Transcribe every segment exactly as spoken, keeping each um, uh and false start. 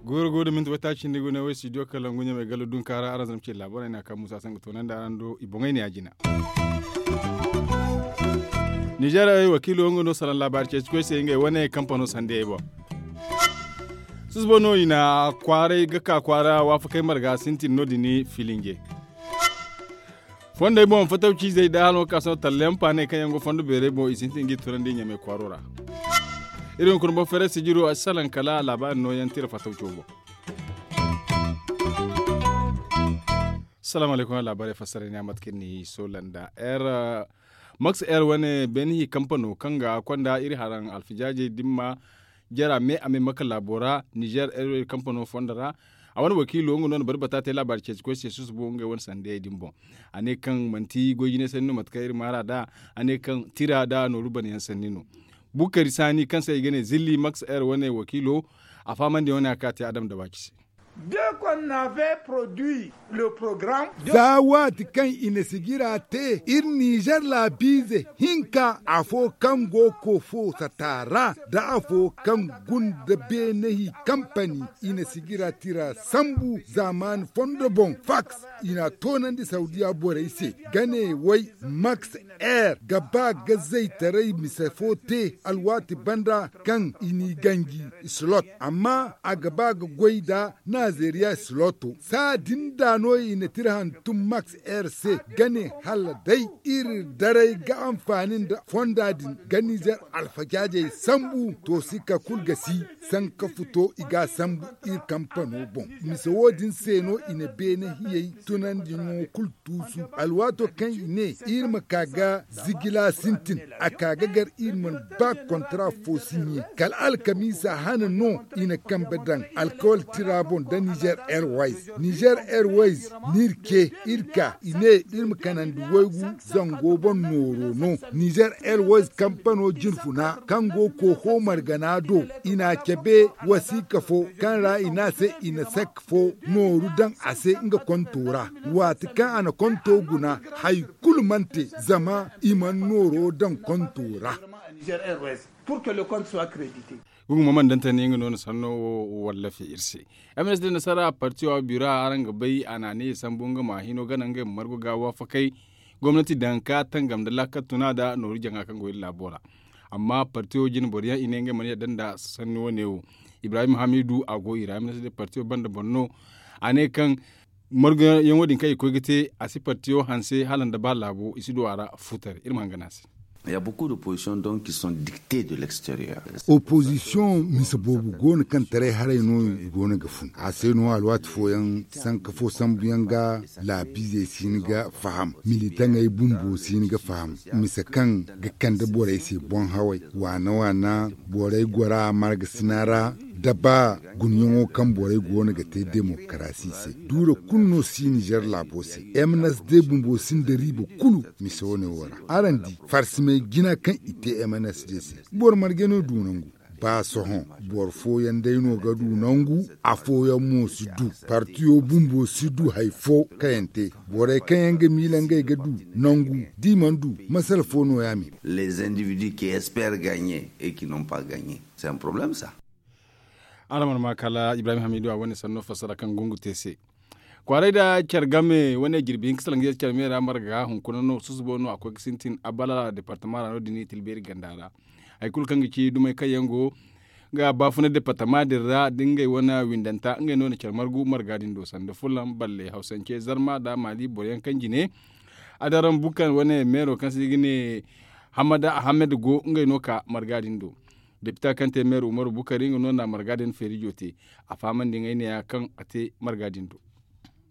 Guuru guuru da minti wata cindi gune wo studio kalangu ɲamay galo dunkaara araŋ zama ce laabaray no a kaŋ musa saŋ ga toonandi araŋ do i boŋey ne a jina. Nizeer wakiilo nga no salaŋ laabaari ceeci koy se ngey wane kampano sandiyey boŋ. Susubo no i na kwaaray ga ka kwaara waafakey marga sintin no- din filinje. Fondey boŋ fatawciizey da hano ka sohõ talleyaŋ paaney kaŋ yaŋ go fondo beerey boŋ i sintin g'i tunandi ɲamay kwaaro ra. Iri hunkuna boŋ feeray sijiro a si salaŋ kala laabaari nooyaŋ tira fatawco boŋ. Salaamu alaykum laabaarey fassara ni a mate kaŋ ni soolanda r max r wane beene hi kampano kaŋ ga konda iri haraŋ alfijaajey dimma jara me a me maka laabo ra nizeer r kampano fondo ra. A wane wakiilo nga no na bari bata te laabaari ceeci koy se susubo ngey wane sandiyey din boŋ. A ne kaŋ manti goy jinay sanni no mate kaŋ iri maara nd'a. A ne kaŋ tira nd'a nooru banayaŋ sanni no. Bukari saani kaŋ se i ga ne zilli max r wane wakiilo a fahamandi wane a ka te adam da waaci se. Dès qu'on avait produit le programme. Za waati kaŋ i na sijira te iri nizeer laabiize hinka afo kaŋ go koofo sata ra nda afo kaŋ gunda beene hi kampani i na sijira tira sambu zaamaani fondo boŋ faks i na a toonandi sawdiya borey se ga ne way max r ga ba ga zaytaray mise fo te alwaati banda kaŋ i n'i ganji slot amma a ga ba ga goy nda nazeeriya sloto saa din da no i na tira hantum max r se ga ne hala day iri daray ga anfaani nda fonda din ga nizeer alfajaajey sambu to sikka kulu ga si sanka futo i ga a sambu iri kampano boŋ. Mise wo- din se no i na beene hiyey tunandiyaŋo kulu tuusu alwaato kaŋ i ne iri ma ka ga zigila sintin a ka ga gar iri mana ba kontara fo si ɲe kala alkamiisa hane no i na kambe daŋ alkawal tira boŋ nda nizeer airways. Nizeer airways n'iri ce iri ka i ne iri ma kanandi waygu zango boŋ nooro no. Nizeer airways kampano jinfuna kaŋ go kooho margana do i n'a cabe wasiika fo kaŋ ra i ne a se i na sek fo nooru daŋ a se nga konto ra. Waati kaŋ a na konto guna hari kulu mana te zama i mana nooro daŋ konto ra. Gugu ma mana daŋ tani nga no na sanno wo wallafi iri se. M s d nasara partiyo biro araŋ ga bay a na a ne i sambu nga ma hino gana ngey ma margu ga waafakey gomnati daŋ ka tangam nda laakal tuna nda nooru jaŋa kaŋ go iri laabo ra. Amma partiyo jine boro yaŋ i ne ngey mana yadda nda sanni wane wo. Ibrahim hamidu a go i ra ministre de partiyo banda boro no. A ne kaŋ marguyaŋo din kaŋ i koy ga te a si partiyo hanse hala nda ba laabo i si du a ra. Futar iri ma hangan a se. Il y a beaucoup d'opposition donc qui sont dictées de l'extérieur. Opozisiyoŋ mise boobo go no kaŋ taray haray no i go no ga fun a se no alwaati fooyaŋ sanka fo sambuyaŋ ga laabiizey si hin ga faham militaŋey bumbo si hin ga faham mise kaŋ ga kande borey se boŋ haway waana waana borey gora margasina ra da ba guniyaŋo kaŋ borey go no ga te demokarasi se duura kulu no si nizer laabo se. M n s d bumbo sinda riiba kulu mise wane wo ra araŋ di farsimey jina kaŋ i te m n s d se boro margey no du nangu ba sohõ boro fooyaŋ day no ga du nangu afooyaŋ mo si du partiyo bumbo si du hari fo kaŋ yaŋ te borey kaŋ yaŋ ga miila ngey ga du nangu da i mana du masala fo no ya me. Les individus qui espèrent gagner et qui n'ont pas gagner c'est un problème ça. Araŋ mana ma kala ibrahim hamidu a wane sanno fassara kaŋ gungu te se kwaaray nda care game wane jirbi hinka salaŋ ga care me ra marga hunkuna no susubo no a koy ga sintin abala departama ra no- din i tilbeeri ganda ra. Hari kulu kaŋ ga ci dumey kaŋ yaŋ go ga baafuna departama din ra da ngey wane windanta ngey no na care margu marga din do sanda fulaŋ balle hawsance zarma nda maali boro yaŋ kaŋ jine adaraŋ bukar wane meero kaŋ se i ga ne hamada ahamed go ngey no ka marga din do. Depita kaŋ te meero umaru bukari nga no na marga din feerijo te a fahamandi ngey neeya kaŋ a te marga din do.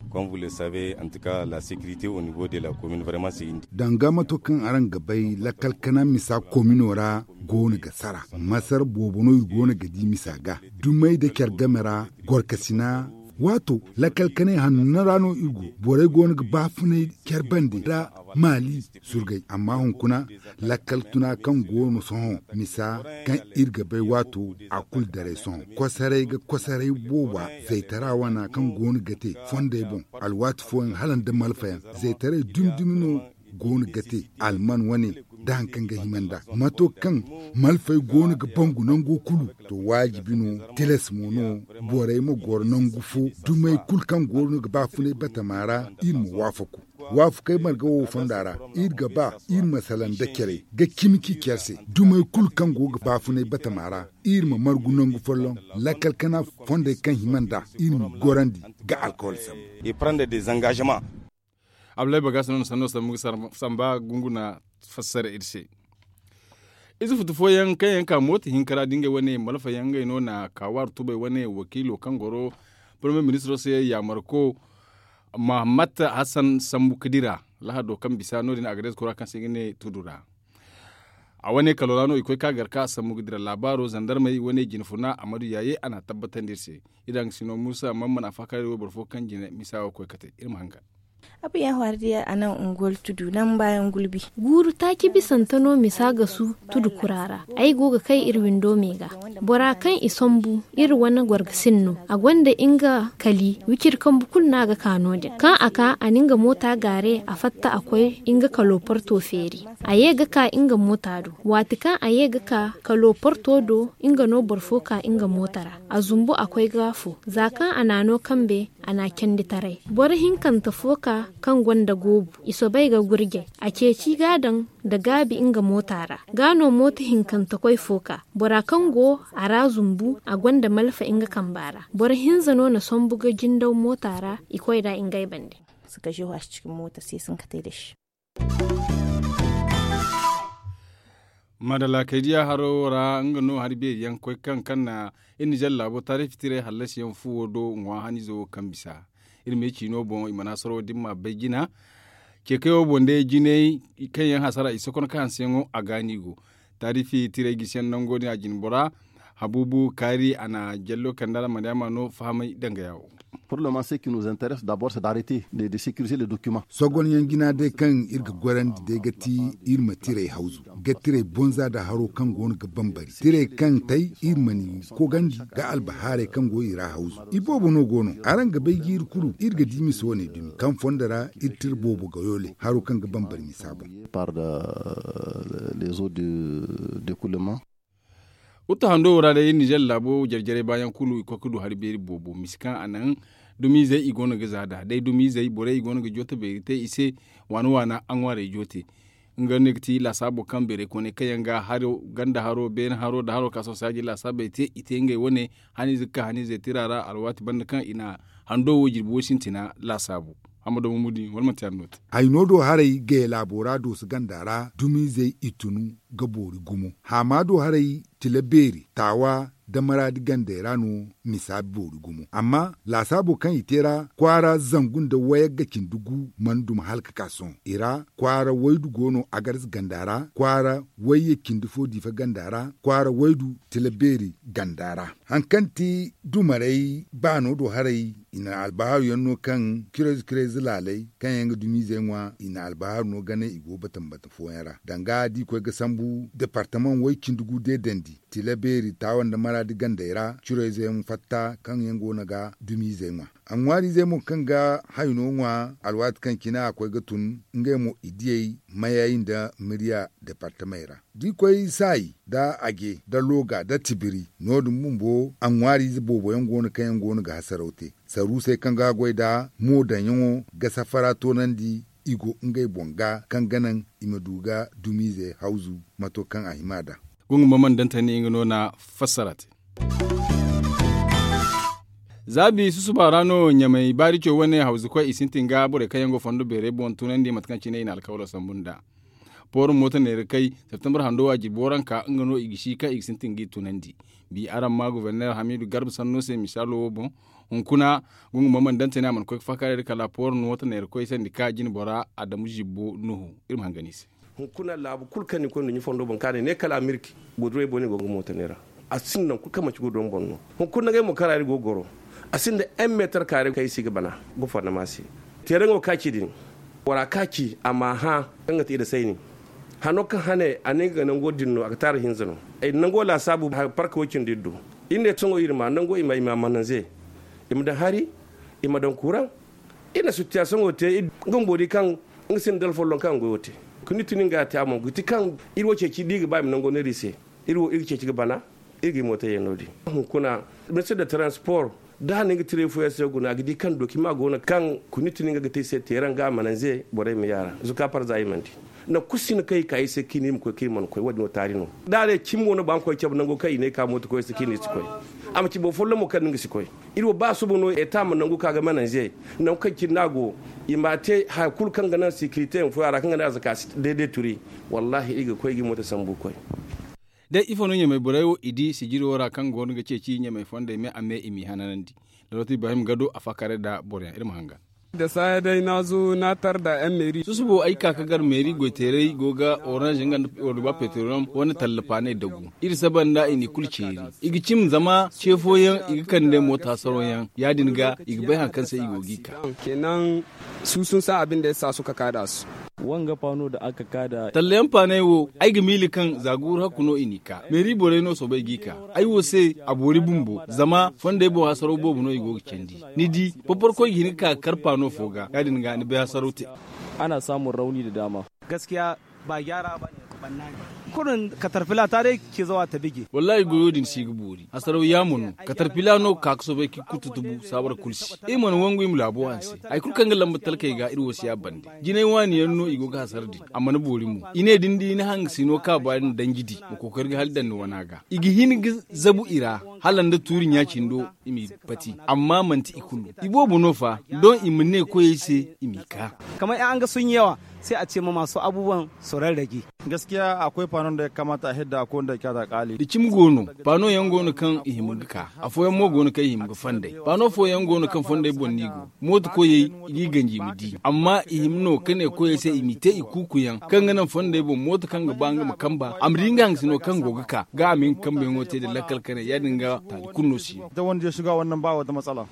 Comme vous le savez en tout cas la sécurité au niveau de la commune vraiment c'est une. Danga mato kaŋ araŋ ga bay lakkal kana misa komino ra go no ga sara masar boobo no i go no ga di misa ga dumey nda care game ra gorkasina. Waato lakkal kanay hanno ra no iri go. Borey go no ga baafunay care bande nda maali surgay amma hunkuna lakkal tuna kaŋ go no sohõ misa kaŋ iri ga bay waato a kulu daray sohõ kosoray ga kosoray booba zaytara wana kaŋ go no ga te fondey boŋ alwaati fooyaŋ hala nda malfayaŋ zaytaray dumi dumi no go no ga te alman wane da hari kaŋ ga hima nd'a mato kaŋ malfey go no ga bangu nango kulu. To waajibi no tilas mo no borey ma goro nangu fo dumey kulu kaŋ go no ga baafunay batama ra iri ma waafaku waafakey marga wo fonda ra iri ga ba iri ma salaŋ nda care ga cimi k'i care se dumey kulu kaŋ go ga baafunay batama ra iri ma margu nangu folloŋ lakkal kana fondey kaŋ hima nd'a iri ma gorandi ga alkawal sambu. Abdullahi bagasa no na sanno sambu ga samba gunguna fassara iri se. Ize futu fooyaŋ kaŋ yaŋ ka mooto hinka ra da ngey wane malfa yaŋ ngey no na kaawaari tubay wane wakiilo kaŋ goro parmiye ministiro se yaamarko mahamat hasan sambu ga dira lahado kaŋ bisa no- din a ga deezaku ra kaŋ se i ga ne tudu ra. A wane kalo ra no i koy ka gar ka sambu ga dira laabaaro zandarmey wane jine funa a ma du yaaye a n'a tabbatandi iri se. Iri daŋ ga sino muusa amma mana faakaaray wo boro fo kaŋ jine misa wo koy kate iri ma hangan. Abu ya hwari diya a naŋ unguwar tudu naŋ baayaŋ gulbi. Guuru taaci bisante no misa ga su tudu kura ra. Ay go ga kay iri windo me ga bora kaŋ i sambu iri wane gorgasin no a gonda nga kali wiciri kambu kulu no a ga ka no- din kaŋ a ka a na nga moota gaare a fatta a koy nga kalo porto feeri. A ye ga ka nga moota do waati kaŋ a ye ga ka kalo porto do nga no boro fo ka nga moota ra a zumbu a koy ga fo za kaŋ a na no kambe a na a candi taray. Boro hinkante fo ka kaŋ gonda goobu i soobay ga gurjay a ceeci ga a daŋ nda gaabi nga moota ra. Ga no mooto hinkante koy fo ka bora kaŋ go a ra zumbu a gonda malfa nga kamba ra. Boro hinza no na sambu ga jindaw moota ra i koy nd'a ngey bande. Maadalla kay diya haro wo ra nga no hari beeri yaŋ koy kaŋ kaŋ na iri nizer laabo taarifi tiray hallasi yaŋ fuwo do ŋwa hanizo wo kaŋ bisa. Iri ma ye ciino boŋ i mana soro da iri ma bay jina. Ceekay wo boŋ day jinay kaŋ yaŋ hasara i sokono kaŋ hanseyaŋo a ga ni go. Taarifi tiray gisi yaŋ nango din a jine bora habuubu kaari a na jallo kandara mariyama no fahamay danga ya wo. Pour le moment ce qui nous intéresse d'abord c'est d'arrêter de sécuriser les documents. Sogonyaŋ jina day kaŋ iri ga gorandi day ga ti iri ma tiray hawzu ga tiray bonza nda haro kaŋ go no ga bambari tiray kaŋ tay iri ma ni kogandi nda albahaaray kaŋ go i ra hawzu. Iboobo no go no araŋ ga bay jiiri kulu iri ga di misa wane dumi kaŋ fondo ra iri tira boobo ga yoole haro kaŋ ga bambari misa boŋ. Par les eaux de découlement. Wuttu hando wo ra day iri nizer laabo jare-jarey baayaŋ kulu i koy ga du hari beeri boobo misa kaŋ a naŋ dumiizey i go no ga za nd'a day dumiizey borey i go no ga joote beeri te i se waana waana a ŋwaarey joote. Nga no ga ti laasaabo kaŋ beerey kooney kaŋ yaŋ ga ganda haro beene haro nda haro ka sohõ saaji laasaabey te i te ngey wane haniize ga ka haniizey tira ra alwaati banda kaŋ i na hando wo jirbi wo sintina laasaabu. Hamado mumudi wala manti yaadin no te? Hayno do haray gaya laabo ra dooso ganda ra dumiizey i tunu ga boori gumo haama do haray tila beeri taawa nda maraadi gandey ra no misa boori gumo amma laasaabo kaŋ i te ra kwaara zangu nda wayagga cindi gu mana duma hala ga ka sohõ i ra kwaara waydu go no agarza ganda ra kwaara wayye cindi fo diifa ganda ra kwaara waydu tila beeri ganda ra. Hari kaŋ ti dumarey baano do haray i na albahaaru yaŋ no kaŋ kirayze kirayze laaley kaŋ yaŋ ga dumiizey ŋwa i na albahaaru no gane i go batama batama fooyaŋ ra danga da i koy ga sambu departamaŋ way cindi gu deedandi tila beeri taawa nda maraadi gandey ra curayze yaŋ fatta kaŋ yaŋ go no ga dumiizey ŋwa. A ŋwaariizey mo kaŋ ga hayno ŋwa alwaati kaŋ cine a koy ga tun ngey mo i diyey mayey nda miriya departamey ra da i koy saayi nda aje nda looga nda tibiri no- din bumbo a ŋwaariize boobo yaŋ go no kaŋ yaŋ go no ga hasaraw te saruusey kaŋ ga goy nd'a mo daŋyaŋo ga safara toonandi i go ngey boŋ ga kaŋ ga naŋ i ma du ga dumiize hawzu mato kaŋ a hima nd'a. Gungu ma mana daŋ tani nga no na fassara te. Zaabi susuba ra no ɲamay baarico wane hawzu koy i sintin ga borey kaŋ yaŋ go fondo beerey boŋ tunandi mate kaŋ cine i na alkawalo sambu nd'a. Poorum mooto neera kay septembre hando waaji booranka nga no i ga si kaŋ i ga sintin g'i tunandi. Bi araŋ ma goborneer hamiidu garba sanno se misaalo wo boŋ. Hunkuna gungu ma mana daŋ tani a mana koy ga faakaaray da kala poorum mooto neera koy sandi ka jine bora adamu zibbo nuhu. Iri ma hangan i se. Hunkuna laabu kulu kaŋ ni koy nduɲɲa fondo boŋ ka ne ne kala amirki. Goduray boŋ no i go ga mooto neera. A sinda nangu kulu kaŋ manti goduray boŋ no. Hunkuna ngey mo kaŋ ra iri go ga goro. A sinda en meetar kaare kaŋ i si ga bana. Gofornama se teeraŋo ka ci din, bora ka ci a ma hã kaŋ ga ti iri sayni. Hano kaŋ hane a ne nga ga nango din no a ga taara hinza no. Ay nango laasaabu parka way cindi iri do. Iri ne sohõ iri ma nango i ma mananze, i ma daŋ hari, i ma daŋ kuraŋ. Iri na sitiyasoŋo te. Nga bumbo di kaŋ nga sinda dala folloŋ kaŋ a ga goyo te. Kuni tuni nga te a mo ga ti kaŋ iri wo ceeci da i ga ba i ma nango neera i se. Iri wo iri ga ceeci ga bana. Iri ga i mootayey no- din hunkuna, ministir de transport da a na nga tiray fooyaŋ se guna a ga di kaŋ dokima go no kaŋ kuni tuni nga ga te i se teeraŋ ga a mananze borey ma yaara zuka parza i mana di. Nangu kulu si no kaŋ i ka i se kaŋ i ne i ma koy kaŋ i mana koy wo- din wo taari no. Da a ne cimi wo no ba nga koy cabe nango kaŋ i ne i ka mooto koy se kaŋ i ne i si koy. A ma ci boro folloŋ mo kaŋ no nga si koy. Iri wo ba suba no eta ma nangu ka ga mananze. Nangu kaŋ cine no a go i ma a te haya kulu kaŋ ga naŋ sikirite yaŋ fooyaŋ ra kaŋ ga naŋ a zaka si deede turi. Wallahi iri ga koy ga i mooto sambu koy. Day ifo no ɲamey borey wo i di sijiro ra kaŋ go no ga ceeci ɲamey fondey me a me i m'i hananandi. Dalooti ibrahim gado a faakaaray nda boroyaŋ iri ma hangan. Da saaya day no a zo no a tar nda yan meeri susubo ay ka ga gar meeri goyteeray go ga orange nga nda orduba petroliyom wane talla paaney dagu. Iri saba nda i n'i kulu ceeri. I ga cim zama ce fooyaŋ i ga kande moota saroyaŋ ya- din ga i ga bay hari kaŋ se i go g'i ka. Kenan suusun se abin da ya sa suka kaada su. Wanga paano da aka kaada. Tallayaŋ paaney wo ay ga miila kaŋ za guuru hakku no i n'i ka meeri borey no soobay g'i ka. Ay wo se a boori bumbo zama fondey boŋ hasaraw boobo no i go ga candi. Ni di, porporkoy ga hin ga ka ga kar paano fo ga ya- din ga ni bay hasaraw te. Ana saamun rawni da daama. Gaskiya ba jaara ba ne. Kurun katarfila ta day ke zawa ta bige. Wallahi goyo din si ga boori hasaraw yaamo no. Katarfila no ga ka ga soobay ka i kututubu saabara kulu se. Iri mana wangu i ma laabo hanse. Hari kulu kaŋ ga lamba talkey ga iri wo si a bande. Jinay waani yaŋ no i go ga hasara din a mana boori mo. I ne da ni di ni hangasino kaaba din danji di ma kookari ga hala daŋ ni wana ga. I ga hin ga zabu i ra hala nda tuuri ɲa cindo i m'i pati. Amma manti i kulu. I boobo no fa. Doŋ i ma ne koyey se i m'i ka. Kamar yan an ga sun yawa sai a ce ma masu abubuwan su rarrage. Gaskiya akwai fanon da ya kamata a hidda ko wanda ya kyata kali. Da cimi go no. Faano yaŋ go no kaŋ i hima ga ka. Afooyaŋ mo go no kaŋ i hima ga fonday. Faano fooyaŋ go no kaŋ fonday boŋ no i go. Mooto koyey i g'i ganji i ma di amma i hima no ka ne koyey se i m'i te i kuuku yaŋ kaŋ ga naŋ fonday boŋ mooto kaŋ ga ba nga ma kamba a ma di nga hangasino kaŋ go ga ka ga a ma nga kambe yaŋo te nda lakkal kanay ya- din ga taali kulu no si no.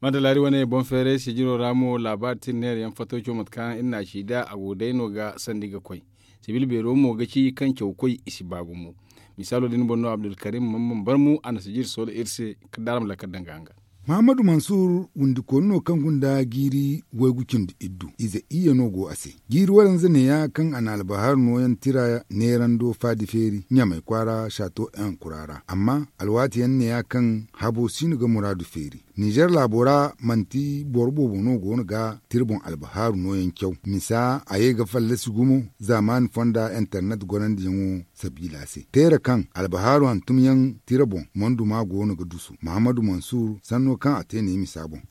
Madalaari wane boŋ feeray sijiro ra mo laabaari tira neera yaŋ fattaco mate kaŋ iri na a ci nd'a a go day no ga sandi ga koy. Sibil beero mo ga ci kaŋ cawkoy i si ba gumo. Misaalo din boŋ no abdulkarim man man barmu a na sijir soola iri se. Kala da araŋ ma lakkal daŋ ga hangan. Mahammadu mansur windikooni no kaŋ gunda jiiri waygu cindi iddu ize iyye no go a se. Jiiri waranza neeya kaŋ a na albahaaru nooyaŋ tira neerando faadi feeri ɲamay kwaara saato en kura ra amma alwaati yaŋ neeya kaŋ habo si no ga muraadu feeri. Nizer laabo ra manti boro boobo no go no ga tira boŋ albahaaru nooyaŋ caw misa a ye ga fallasi gumo zaamaani fonda internet gorandiyaŋo sabiila se teera kaŋ albahaaru hantumyaŋ tira boŋ monduma go no ga dusu mahammadu mansur sanno kaŋ a te ne misa boŋ.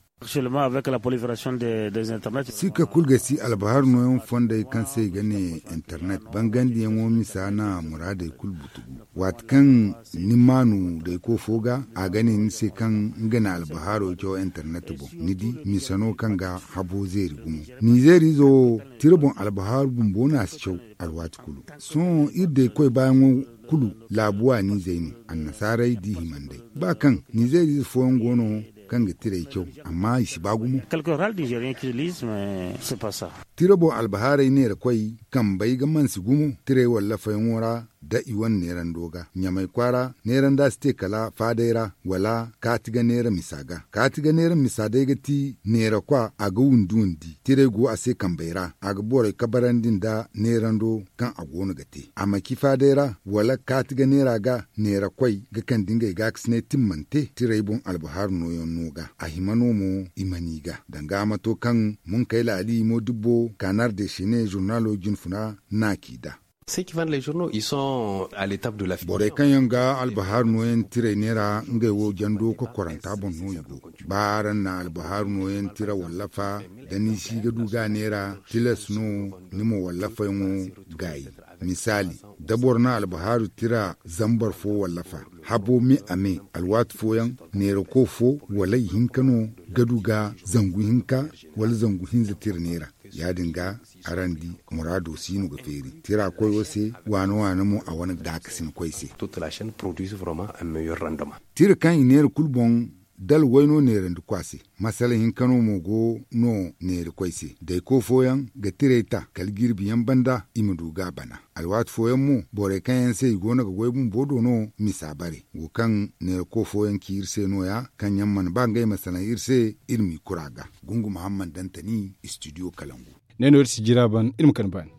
Sikka kulu ga si albahaaru nooyaŋ fondey kaŋ se i ga ne internet bangandiyaŋo misa na muraadey kulu butugu. Waati kaŋ ni maanu dayko fo ga a ga ne ni se kaŋ nga na albahaaro caw internet boŋ ni di misa no kaŋ ga habo zeeri gumo. Nizeeriizo wo tira boŋ albahaaru bumbo no a si caw. Alwaati kulu sohõ iri daykoy baayaŋo kulu laabu waaniizey no. Annasaarey d'i himandey ba kaŋ nizeeriize fooyaŋ go no kaŋ ga tirey caw amma i si ba gumo. Tira boŋ albahaarey neerakoy kambey ga mansi gumo tirey wallafayaŋo ra da i wane neerando ga ɲamay kwaara neeranda si te kala faaday ra wala kaati ga neera misa ga kaati ga neera misa day ga ti neerakwa a ga windi windi tirey go a se kambey ra a ga borey kabarandi nda neerando kaŋ a go no ga te a ma ci faaday ra wala kaati ga neera ga neerakoy ga kande ngey gaakasinay timmante tirey boŋ albahaaru nooyaŋ no ga a hima no mo i mana i ga danga a ma to kaŋ munkayla ali modibbo kanar de sene zurnaalo jinfuna na ci da. Borey kaŋ yaŋ ga albahaaru nooyaŋ tirey neera ngey wo jando kokoranta boŋ no i go ba araŋ na albahaaru nooyaŋ tira wallafa da ni si ga du ga neera tilas no ni ma wallafayaŋo gaayi. Misaali da boro na albahaaru tira zambar fo wallafa habo me a me alwaati fooyaŋ neerako fo wala ihinka no ga du ga zangu hinka wala zangu hinza tira neera. Ya- din ga araŋ di muraado si no ga feeri tira koyo se waane waane mo a wane gaakasinkoy se. Tira kaŋ i neera kulu boŋ dala wayno neerandi ku a se. Masala hinka no mo go no neerikoy se dayko fooyaŋ ga tirey ta kala jirbi yaŋ banda i ma du ga a bana. Alwaati fooyaŋ mo borey kaŋ yaŋ se i go no ga goy bumbo do no misa bare wo kaŋ neerako fooyaŋ ci iri se no- ya kaŋ yaŋ mana ba ngey ma salaŋ iri se. Iri m'i kura ga gungu muhammad dantani istidiyo kalangu. Ne no iri si jira ban iri ma kande baani.